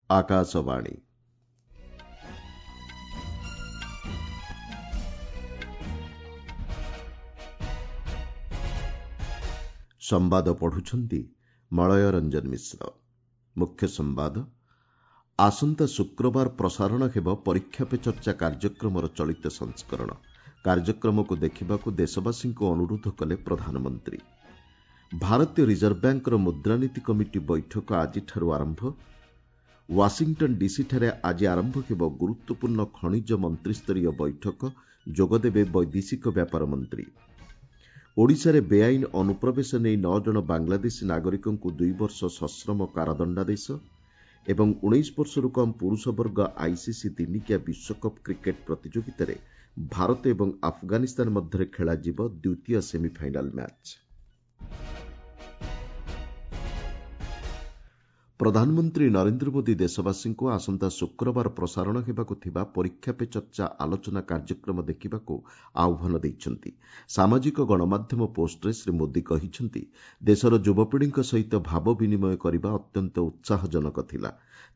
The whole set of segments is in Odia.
ଆକାଶବାଣୀ। ସମ୍ବାଦ ପଢୁଛନ୍ତି ମଳୟ ରଞ୍ଜନ ମିଶ୍ର। ମୁଖ୍ୟ ସମ୍ବାଦ, ଆସନ୍ତା ଶୁକ୍ରବାର ପ୍ରସାରଣ ହେବ ପରୀକ୍ଷା ପେ ଚର୍ଚ୍ଚା କାର୍ଯ୍ୟକ୍ରମର ଚଳିତ ସଂସ୍କରଣ। କାର୍ଯ୍ୟକ୍ରମକୁ ଦେଖିବାକୁ ଦେଶବାସୀଙ୍କୁ ଅନୁରୋଧ କଲେ ପ୍ରଧାନମନ୍ତ୍ରୀ। ଭାରତୀୟ ରିଜର୍ଭ ବ୍ୟାଙ୍କର ମୁଦ୍ରାନୀତି କମିଟି ବୈଠକ ଆଜିଠାରୁ ଆରମ୍ଭ। ୱାଶିଂଟନ୍ ଡିସିଠାରେ ଆଜି ଆରମ୍ଭ ହେବ ଗୁରୁତ୍ୱପୂର୍ଣ୍ଣ ଖଣିଜ ମନ୍ତ୍ରିସ୍ତରୀୟ ବୈଠକ, ଯୋଗଦେବେ ବୈଦେଶିକ ବ୍ୟାପାର ମନ୍ତ୍ରୀ। ଓଡ଼ିଶାରେ ବେଆଇନ ଅନୁପ୍ରବେଶ ନେଇ 9 ଜଣ ବାଂଲାଦେଶୀ ନାଗରିକଙ୍କୁ 2 ବର୍ଷ ସଶ୍ରମ କାରାଦଣ୍ଡାଦେଶ ଏବଂ 19 ବର୍ଷରୁ କମ୍ ପୁରୁଷ ବର୍ଗ ଆଇସିସି ଦିନିକିଆ ବିଶ୍ୱକପ୍ କ୍ରିକେଟ୍ ପ୍ରତିଯୋଗିତାରେ ଭାରତ ଏବଂ ଆଫଗାନିସ୍ତାନ ମଧ୍ୟରେ ଖେଳାଯିବ ଦ୍ୱିତୀୟ ସେମିଫାଇନାଲ୍ ମ୍ୟାଚ୍। ପ୍ରଧାନମନ୍ତ୍ରୀ ନରେନ୍ଦ୍ର ମୋଦି ଦେଶବାସୀଙ୍କୁ ଆସନ୍ତା ଶୁକ୍ରବାର ପ୍ରସାରଣ ହେବାକୁ ଥିବା ପରୀକ୍ଷା ପେ ଚର୍ଚ୍ଚା ଆଲୋଚନା କାର୍ଯ୍ୟକ୍ରମ ଦେଖିବାକୁ ଆହ୍ୱାନ ଦେଇଛନ୍ତି। ସାମାଜିକ ଗଣମାଧ୍ୟମ ପୋଷ୍ଟରେ ଶ୍ରୀ ମୋଦି କହିଛନ୍ତି, ଦେଶର ଯୁବପିଢ଼ିଙ୍କ ସହିତ ଭାବ ବିନିମୟ କରିବା ଅତ୍ୟନ୍ତ ଉତ୍ସାହଜନକ ଥିଲା।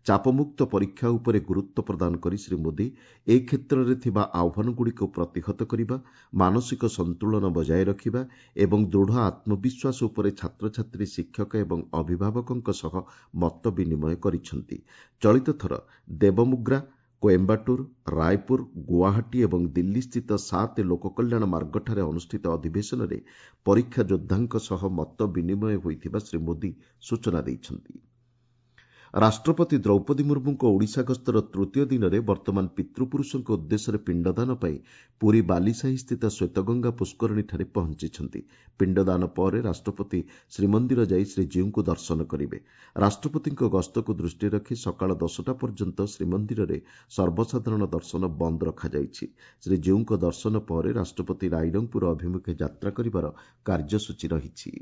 ଚାପମୁକ୍ତ ପରୀକ୍ଷା ଉପରେ ଗୁରୁତ୍ୱ ପ୍ରଦାନ କରି ଶ୍ରୀ ମୋଦି ଏ କ୍ଷେତ୍ରରେ ଥିବା ଆହ୍ୱାନଗୁଡ଼ିକୁ ପ୍ରତିହତ କରିବା, ମାନସିକ ସନ୍ତୁଳନ ବଜାୟ ରଖିବା ଏବଂ ଦୃଢ଼ ଆତ୍ମବିଶ୍ୱାସ ଉପରେ ଛାତ୍ରଛାତ୍ରୀ, ଶିକ୍ଷକ ଏବଂ ଅଭିଭାବକଙ୍କ ସହ ମତ ବିନିମୟ କରିଛନ୍ତି। ଚଳିତ ଥର ଦେବମୁଗ୍ରା, କୋଏମ୍ବାଟୁର, ରାୟପୁର, ଗୁଆହାଟୀ ଏବଂ ଦିଲ୍ଲୀସ୍ଥିତ 7 ଲୋକକଲ୍ୟାଣ ମାର୍ଗଠାରେ ଅନୁଷ୍ଠିତ ଅଧିବେଶନରେ ପରୀକ୍ଷା ଯୋଦ୍ଧାଙ୍କ ସହ ମତ ବିନିମୟ ହୋଇଥିବା ଶ୍ରୀ ମୋଦି ସୂଚନା ଦେଇଛନ୍ତି। ରାଷ୍ଟ୍ରପତି ଦ୍ରୌପଦୀ ମୁର୍ମୁଙ୍କ ଓଡ଼ିଶା ଗସ୍ତର ତୃତୀୟ ଦିନରେ ବର୍ତ୍ତମାନ ପିତୃପୁରୁଷଙ୍କ ଉଦ୍ଦେଶ୍ୟରେ ପିଣ୍ଡଦାନ ପାଇଁ ପୁରୀ ବାଲିସାହିସ୍ଥିତ ଶ୍ୱେତଗଙ୍ଗା ପୁଷ୍କରିଣୀଠାରେ ପହଞ୍ଚିଛନ୍ତି। ପିଣ୍ଡଦାନ ପରେ ରାଷ୍ଟ୍ରପତି ଶ୍ରୀମନ୍ଦିର ଯାଇ ଶ୍ରୀଜୀଉଙ୍କୁ ଦର୍ଶନ କରିବେ। ରାଷ୍ଟ୍ରପତିଙ୍କ ଗସ୍ତକୁ ଦୃଷ୍ଟିରେ ରଖି ସକାଳ 10ଟା ପର୍ଯ୍ୟନ୍ତ ଶ୍ରୀମନ୍ଦିରରେ ସର୍ବସାଧାରଣ ଦର୍ଶନ ବନ୍ଦ ରଖାଯାଇଛି। ଶ୍ରୀଜୀଉଙ୍କ ଦର୍ଶନ ପରେ ରାଷ୍ଟ୍ରପତି ରାଇରଙ୍ଗପୁର ଅଭିମୁଖେ ଯାତ୍ରା କରିବାର କାର୍ଯ୍ୟସୂଚୀ ରହିଛି।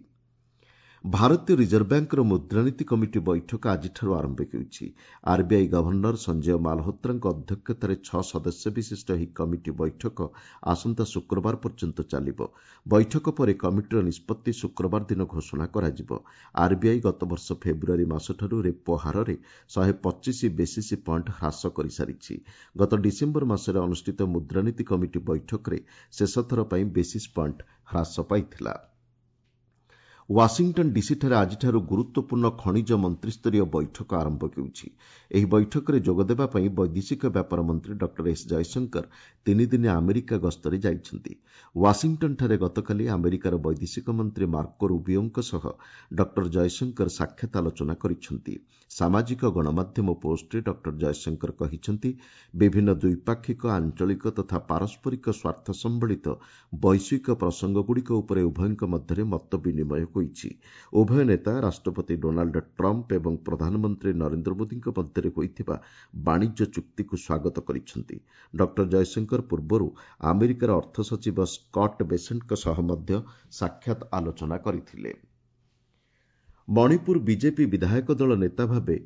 ଭାରତୀୟ ରିଜର୍ଭ ବ୍ୟାଙ୍କର ମୁଦ୍ରାନୀତି କମିଟି ବୈଠକ ଆଜିଠାରୁ ଆରମ୍ଭ ହେଉଛି। ଆର୍ବିଆଇ ଗଭର୍ଣ୍ଣର ସଞ୍ଜୟ ମାଲହୋତ୍ରାଙ୍କ ଅଧ୍ୟକ୍ଷତାରେ 6 ସଦସ୍ୟ ବିଶିଷ୍ଟ ଏହି କମିଟି ବୈଠକ ଆସନ୍ତା ଶୁକ୍ରବାର ପର୍ଯ୍ୟନ୍ତ ଚାଲିବ। ବୈଠକ ପରେ କମିଟିର ନିଷ୍ପତ୍ତି ଶୁକ୍ରବାର ଦିନ ଘୋଷଣା କରାଯିବ। ଆର୍ବିଆଇ ଗତବର୍ଷ ଫେବୃଆରୀ ମାସଠାରୁ ରେପୋ ହାରରେ 125 ବେସିସ୍ ପଏଣ୍ଟ ହ୍ରାସ କରିସାରିଛି। ଗତ ଡିସେମ୍ବର ମାସରେ ଅନୁଷ୍ଠିତ ମୁଦ୍ରାନୀତି କମିଟି ବୈଠକରେ ଶେଷଥର ପାଇଁ ବେସିସ୍ ପଏଣ୍ଟ ହ୍ରାସ ପାଇଥିଲା। ୱାଶିଂଟନ୍ ଡିସିଠାରେ ଆଜିଠାରୁ ଗୁରୁତ୍ୱପୂର୍ଣ୍ଣ ଖଣିଜ ମନ୍ତ୍ରିସ୍ତରୀୟ ବୈଠକ ଆରମ୍ଭ ହେଉଛି। ଏହି ବୈଠକରେ ଯୋଗଦେବା ପାଇଁ ବୈଦେଶିକ ବ୍ୟାପାର ମନ୍ତ୍ରୀ ଡକ୍ଟର ଏସ୍ ଜୟଶଙ୍କର 3 ଦିନିଆ ଆମେରିକା ଗସ୍ତରେ ଯାଇଛନ୍ତି। ୱାଶିଂଟନ୍ଠାରେ ଗତକାଲି ଆମେରିକାର ବୈଦେଶିକ ମନ୍ତ୍ରୀ ମାର୍କୋ ରୁବିଓଙ୍କ ସହ ଡକ୍ଟର ଜୟଶଙ୍କର ସାକ୍ଷାତ ଆଲୋଚନା କରିଛନ୍ତି। ସାମାଜିକ ଗଣମାଧ୍ୟମ ପୋଷ୍ଟରେ ଡକ୍ଟର ଜୟଶଙ୍କର କହିଛନ୍ତି, ବିଭିନ୍ନ ଦ୍ୱିପାକ୍ଷିକ, ଆଞ୍ଚଳିକ ତଥା ପାରସ୍ପରିକ ସ୍ୱାର୍ଥ ସମ୍ବଳିତ ବୈଶ୍ୱିକ ପ୍ରସଙ୍ଗଗୁଡ଼ିକ ଉପରେ ଉଭୟଙ୍କ ମଧ୍ୟରେ ମତ ବିନିମୟ ହୋଇଛି। ଉଭୟ ନେତା ରାଷ୍ଟ୍ରପତି ଡୋନାଲ୍ଡ ଟ୍ରମ୍ପ ଏବଂ ପ୍ରଧାନମନ୍ତ୍ରୀ ନରେନ୍ଦ୍ର ମୋଦିଙ୍କ ମଧ୍ୟରେ ହୋଇଥିବା ବାଣିଜ୍ୟ ଚୁକ୍ତିକୁ ସ୍ୱାଗତ କରିଛନ୍ତି। ଡକ୍ଟର ଜୟଶଙ୍କର ପୂର୍ବରୁ ଆମେରିକାର ଅର୍ଥ ସଚିବ ସ୍କଟ୍ ବେସେଣ୍ଟଙ୍କ ସହ ମଧ୍ୟ ସାକ୍ଷାତ ଆଲୋଚନା କରିଥିଲେ। ମଣିପୁର ବିଜେପି ବିଧାୟକ ଦଳ ନେତା ଭାବେ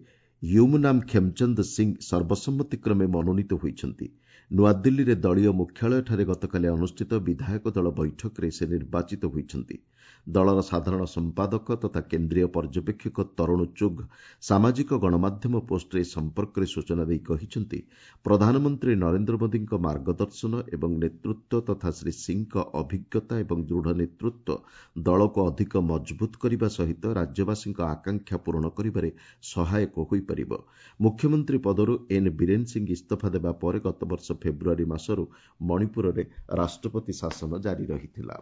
ୟୁମନାମ ଖେମଚନ୍ଦ ସିଂ ସର୍ବସମ୍ମତିକ୍ରମେ ମନୋନୀତ ହୋଇଛନ୍ତି। ନୂଆଦିଲ୍ଲୀରେ ଦଳୀୟ ମୁଖ୍ୟାଳୟଠାରେ ଗତକାଲି ଅନୁଷ୍ଠିତ ବିଧାୟକ ଦଳ ବୈଠକରେ ସେ ନିର୍ବାଚିତ ହୋଇଛନ୍ତି। ଦଳର ସାଧାରଣ ସମ୍ପାଦକ ତଥା କେନ୍ଦ୍ରୀୟ ପର୍ଯ୍ୟବେକ୍ଷକ ତରୁଣ ଚୁଘ୍ ସାମାଜିକ ଗଣମାଧ୍ୟମ ପୋଷ୍ଟରେ ଏ ସମ୍ପର୍କରେ ସୂଚନା ଦେଇ କହିଛନ୍ତି, ପ୍ରଧାନମନ୍ତ୍ରୀ ନରେନ୍ଦ୍ର ମୋଦିଙ୍କ ମାର୍ଗଦର୍ଶନ ଏବଂ ନେତୃତ୍ୱ ତଥା ଶ୍ରୀ ସିଂଙ୍କ ଅଭିଜ୍ଞତା ଏବଂ ଦୃଢ଼ ନେତୃତ୍ୱ ଦଳକୁ ଅଧିକ ମଜବୁତ କରିବା ସହିତ ରାଜ୍ୟବାସୀଙ୍କ ଆକାଂକ୍ଷା ପୂରଣ କରିବାରେ ସହାୟକ ହୋଇପାରିବ। ମୁଖ୍ୟମନ୍ତ୍ରୀ ପଦରୁ ଏନ୍ ବୀରେନ ସିଂ ଇସ୍ତଫା ଦେବା ପରେ ଗତବର୍ଷ ଫେବୃଆରୀ ମାସରୁ ମଣିପୁରରେ ରାଷ୍ଟ୍ରପତି ଶାସନ ଜାରି ରହିଥିଲା।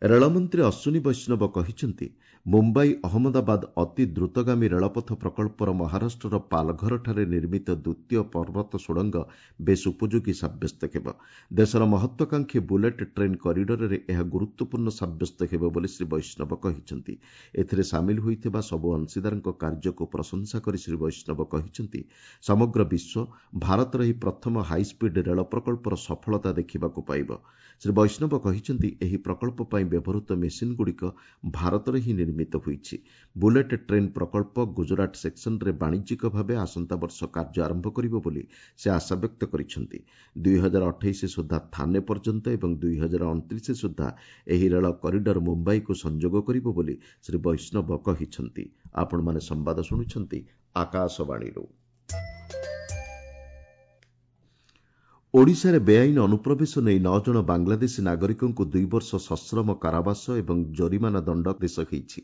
ରେଳମନ୍ତ୍ରୀ ଅଶ୍ୱିନୀ ବୈଷ୍ଣବ କହିଛନ୍ତି, ମୁମ୍ବାଇ ଅହମ୍ମଦାବାଦ ଅତି ଦ୍ରୁତଗାମୀ ରେଳପଥ ପ୍ରକଳ୍ପର ମହାରାଷ୍ଟ୍ରର ପାଲଘରଠାରେ ନିର୍ମିତ ଦ୍ୱିତୀୟ ପର୍ବତ ସୁଡ଼ଙ୍ଗ ବେଶ୍ ଉପଯୋଗୀ ସାବ୍ୟସ୍ତ ହେବ। ଦେଶର ମହତ୍ୱାକାଂକ୍ଷୀ ବୁଲେଟ୍ ଟ୍ରେନ୍ କରିଡରରେ ଏହା ଗୁରୁତ୍ୱପୂର୍ଣ୍ଣ ସାବ୍ୟସ୍ତ ହେବ ବୋଲି ଶ୍ରୀ ବୈଷ୍ଣବ କହିଛନ୍ତି। ଏଥିରେ ସାମିଲ ହୋଇଥିବା ସବୁ ଅଂଶୀଦାରଙ୍କ କାର୍ଯ୍ୟକୁ ପ୍ରଶଂସା କରି ଶ୍ରୀ ବୈଷ୍ଣବ କହିଛନ୍ତି, ସମଗ୍ର ବିଶ୍ୱ ଭାରତର ଏହି ପ୍ରଥମ ହାଇସ୍ପିଡ୍ ରେଳ ପ୍ରକଳ୍ପର ସଫଳତା ଦେଖିବାକୁ ପାଇବ। ଶ୍ରୀ ବୈଷ୍ଣବ କହିଛନ୍ତି, ଏହି ପ୍ରକଳ୍ପ ପାଇଁ ବ୍ୟବହୃତ ମେସିନ୍ଗୁଡ଼ିକ ଭାରତରେ ହିଁ ନିର୍ମିତ ହୋଇଛି। ବୁଲେଟ୍ ଟ୍ରେନ୍ ପ୍ରକଳ୍ପ ଗୁଜରାଟ ସେକ୍ସନରେ ବାଣିଜ୍ୟିକ ଭାବେ ଆସନ୍ତା ବର୍ଷ କାର୍ଯ୍ୟ ଆରମ୍ଭ କରିବ ବୋଲି ସେ ଆଶାବ୍ୟକ୍ତ କରିଛନ୍ତି। 2028 ସୁଦ୍ଧା ଥାନେ ପର୍ଯ୍ୟନ୍ତ ଏବଂ 2029 ସୁଦ୍ଧା ଏହି ରେଳ କରିଡର ମୁମ୍ବାଇକୁ ସଂଯୋଗ କରିବ ବୋଲି ଶ୍ରୀ ବୈଷ୍ଣବ କହିଛନ୍ତି। ଆପଣମାନେ ସମ୍ବାଦ ଶୁଣୁଛନ୍ତି, ଆକାଶବାଣୀରୁ। ଓଡ଼ିଶାରେ ବେଆଇନ ଅନୁପ୍ରବେଶ ନେଇ 9 ଜଣ ବାଂଲାଦେଶୀ ନାଗରିକଙ୍କୁ 2 ବର୍ଷ ସଶ୍ରମ କାରାବାସ ଏବଂ ଜରିମାନା ଦଣ୍ଡାଦେଶ ହୋଇଛି।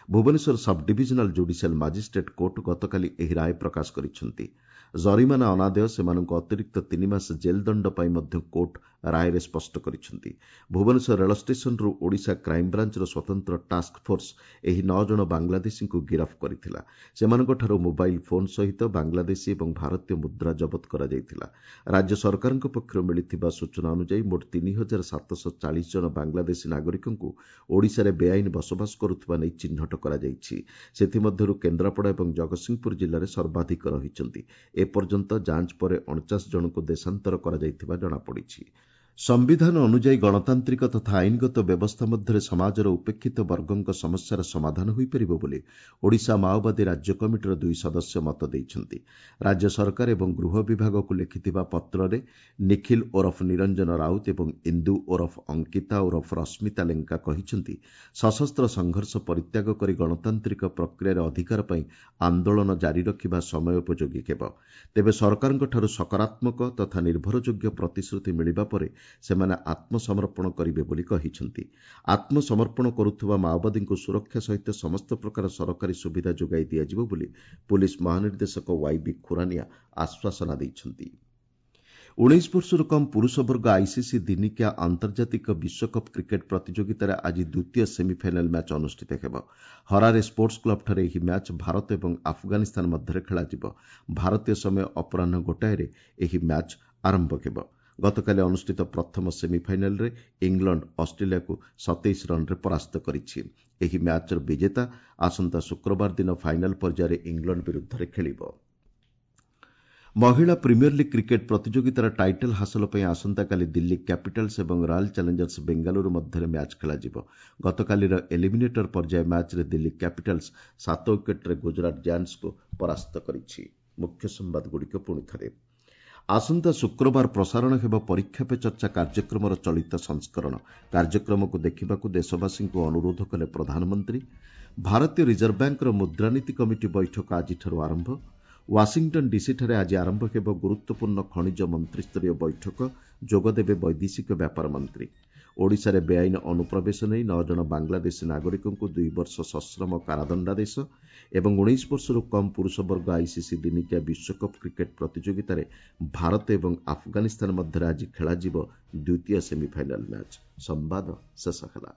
Bhubaneswar sub divisional judicial magistrate court ଗତକାଲି ଏହି ରାୟ ପ୍ରକାଶ କରିଛନ୍ତି। ଜରିମାନା ଅନାଦେୟ ସେମାନଙ୍କୁ ଅତିରିକ୍ତ 3 ମାସ ଜେଲ୍ ଦଣ୍ଡ ପାଇଁ ମଧ୍ୟ କୋର୍ଟ ରାୟରେ ସ୍ପଷ୍ଟ କରିଛନ୍ତି। ଭୁବନେଶ୍ୱର ରେଳ ଷ୍ଟେସନରୁ ଓଡ଼ିଶା କ୍ରାଇମବ୍ରାଞ୍ଚର ସ୍ୱତନ୍ତ୍ର ଟାସ୍କଫୋର୍ସ ଏହି 9 ଜଣ ବାଂଲାଦେଶୀଙ୍କୁ ଗିରଫ କରିଥିଲା। ସେମାନଙ୍କଠାରୁ ମୋବାଇଲ୍ ଫୋନ୍ ସହିତ ବାଂଲାଦେଶୀ ଏବଂ ଭାରତୀୟ ମୁଦ୍ରା ଜବତ କରାଯାଇଥିଲା। ରାଜ୍ୟ ସରକାରଙ୍କ ପକ୍ଷରୁ ମିଳିଥିବା ସୂଚନା ଅନୁଯାୟୀ ମୋଟ 3740 ଜଣ ବାଂଲାଦେଶୀ ନାଗରିକଙ୍କୁ ଓଡ଼ିଶାରେ ବେଆଇନ ବସବାସ କରୁଥିବା ନେଇ ଚିହ୍ନଟ କରାଯାଇଛି। ସେଥିମଧ୍ୟରୁ କେନ୍ଦ୍ରାପଡ଼ା ଏବଂ ଜଗତସିଂହପୁର ଜିଲ୍ଲାରେ ସର୍ବାଧିକ ରହିଛନ୍ତି। ଏପର୍ଯ୍ୟନ୍ତ ଯାଞ୍ଚ ପରେ 49 ଜଣଙ୍କୁ ଦେଶାନ୍ତର କରାଯାଇଥିବା ଜଣାପଡ଼ିଛି। ସମ୍ବିଧାନ ଅନୁଯାୟୀ ଗଣତାନ୍ତ୍ରିକ ତଥା ଆଇନଗତ ବ୍ୟବସ୍ଥା ମଧ୍ୟରେ ସମାଜର ଉପେକ୍ଷିତ ବର୍ଗଙ୍କ ସମସ୍ୟାର ସମାଧାନ ହୋଇପାରିବ ବୋଲି ଓଡ଼ିଶା ମାଓବାଦୀ ରାଜ୍ୟ କମିଟିର 2 ସଦସ୍ୟ ମତ ଦେଇଛନ୍ତି। ରାଜ୍ୟ ସରକାର ଏବଂ ଗୃହ ବିଭାଗକୁ ଲେଖିଥିବା ପତ୍ରରେ ନିଖିଲ ଓରଫ ନିରଞ୍ଜନ ରାଉତ ଏବଂ ଇନ୍ଦୁ ଓରଫ ଅଙ୍କିତା ଓରଫ ରଶ୍ମିତା ଲେଙ୍କା କହିଛନ୍ତି, ସଶସ୍ତ୍ର ସଂଘର୍ଷ ପରିତ୍ୟାଗ କରି ଗଣତାନ୍ତ୍ରିକ ପ୍ରକ୍ରିୟାରେ ଅଧିକାର ପାଇଁ ଆନ୍ଦୋଳନ ଜାରି ରଖିବା ସମୟୋପଯୋଗୀ ହେବ। ତେବେ ସରକାରଙ୍କଠାରୁ ସକାରାତ୍ମକ ତଥା ନିର୍ଭରଯୋଗ୍ୟ ପ୍ରତିଶ୍ରୁତି ମିଳିବା ପରେ ସେମାନେ ଆତ୍ମସମର୍ପଣ କରିବେ ବୋଲି କହିଛନ୍ତି। ଆତ୍ମସମର୍ପଣ କରୁଥିବା ମାଓବାଦୀଙ୍କୁ ସୁରକ୍ଷା ସହିତ ସମସ୍ତ ପ୍ରକାର ସରକାରୀ ସୁବିଧା ଯୋଗାଇ ଦିଆଯିବ ବୋଲି ପୁଲିସ୍ ମହାନିର୍ଦ୍ଦେଶକ ୱାଇବି ଖୁରାନିଆ ଆଶ୍ୱାସନା ଦେଇଛନ୍ତି। 19 ବର୍ଷରୁ କମ୍ ପୁରୁଷ ବର୍ଗ ଆଇସିସି ଦିନିକିଆ ଆନ୍ତର୍ଜାତିକ ବିଶ୍ୱକପ୍ କ୍ରିକେଟ୍ ପ୍ରତିଯୋଗିତାରେ ଆଜି ଦ୍ୱିତୀୟ ସେମିଫାଇନାଲ୍ ମ୍ୟାଚ୍ ଅନୁଷ୍ଠିତ ହେବ। ହରାରେ ସ୍ପୋର୍ଟସ୍ କ୍ଲବ୍ଠାରେ ଏହି ମ୍ୟାଚ୍ ଭାରତ ଏବଂ ଆଫଗାନିସ୍ତାନ ମଧ୍ୟରେ ଖେଳାଯିବ। ଭାରତୀୟ ସମୟ ଅପରାହ୍ନ 1ଟାରେ ଏହି ମ୍ୟାଚ୍ ଆରମ୍ଭ ହେବ। ଗତକାଲି ଅନୁଷ୍ଠିତ ପ୍ରଥମ ସେମିଫାଇନାଲ୍ରେ ଇଂଲଣ୍ଡ ଅଷ୍ଟ୍ରେଲିଆକୁ 27 ରନ୍ରେ ପରାସ୍ତ କରିଛି। ଏହି ମ୍ୟାଚ୍ର ବିଜେତା ଆସନ୍ତା ଶୁକ୍ରବାର ଦିନ ଫାଇନାଲ୍ ପର୍ଯ୍ୟାୟରେ ଇଂଲଣ୍ଡ ବିରୁଦ୍ଧରେ ଖେଳିବ। ମହିଳା ପ୍ରିମିୟର ଲିଗ୍ କ୍ରିକେଟ୍ ପ୍ରତିଯୋଗିତାର ଟାଇଟଲ୍ ହାସଲ ପାଇଁ ଆସନ୍ତାକାଲି ଦିଲ୍ଲୀ କ୍ୟାପିଟାଲ୍ସ ଏବଂ ରୟାଲ୍ ଚ୍ୟାଲେଞ୍ଜର୍ସ ବେଙ୍ଗାଲୁରୁ ମଧ୍ୟରେ ମ୍ୟାଚ୍ ଖେଳାଯିବ। ଗତକାଲିର ଏଲିମିନେଟର ପର୍ଯ୍ୟାୟ ମ୍ୟାଚ୍ରେ ଦିଲ୍ଲୀ କ୍ୟାପିଟାଲ୍ସ 7 ୱିକେଟ୍ରେ ଗୁଜରାଟ ଜାୟାଣ୍ଟସ୍କୁ ପରାସ୍ତ କରିଛି। ମୁଖ୍ୟ ସମ୍ବାଦଗୁଡ଼ିକ ପୁଣି ଥରେ। ଆସନ୍ତା ଶୁକ୍ରବାର ପ୍ରସାରଣ ହେବ ପରୀକ୍ଷା ପେ ଚର୍ଚ୍ଚା କାର୍ଯ୍ୟକ୍ରମର ଚଳିତ ସଂସ୍କରଣ। କାର୍ଯ୍ୟକ୍ରମକୁ ଦେଖିବାକୁ ଦେଶବାସୀଙ୍କୁ ଅନୁରୋଧ କଲେ ପ୍ରଧାନମନ୍ତ୍ରୀ। ଭାରତୀୟ ରିଜର୍ଭ ବ୍ୟାଙ୍କର ମୁଦ୍ରାନୀତି କମିଟି ବୈଠକ ଆଜିଠାରୁ ଆରମ୍ଭ। ୱାଶିଂଟନ୍ ଡିସିଠାରେ ଆଜି ଆରମ୍ଭ ହେବ ଗୁରୁତ୍ୱପୂର୍ଣ୍ଣ ଖଣିଜ ମନ୍ତ୍ରିସ୍ତରୀୟ ବୈଠକ। ଯୋଗଦେବେ ବୈଦେଶିକ ବ୍ୟାପାର ମନ୍ତ୍ରୀ। ଓଡ଼ିଶାରେ ବେଆଇନ ଅନୁପ୍ରବେଶ ନେଇ 9 ଜଣ ବାଂଲାଦେଶୀ ନାଗରିକଙ୍କୁ 2 ବର୍ଷ ସଶ୍ରମ କାରାଦଣ୍ଡାଦେଶ ଏବଂ 19 ବର୍ଷରୁ କମ୍ ପୁରୁଷ ବର୍ଗ ଆଇସିସି ଦିନିକିଆ ବିଶ୍ୱକପ୍ କ୍ରିକେଟ୍ ପ୍ରତିଯୋଗିତାରେ ଭାରତ ଏବଂ ଆଫଗାନିସ୍ତାନ ମଧ୍ୟରେ ଆଜି ଖେଳାଯିବ ଦ୍ୱିତୀୟ ସେମିଫାଇନାଲ୍ ମ୍ୟାଚ୍। ସମ୍ବାଦ ଶେଷ ହେଲା।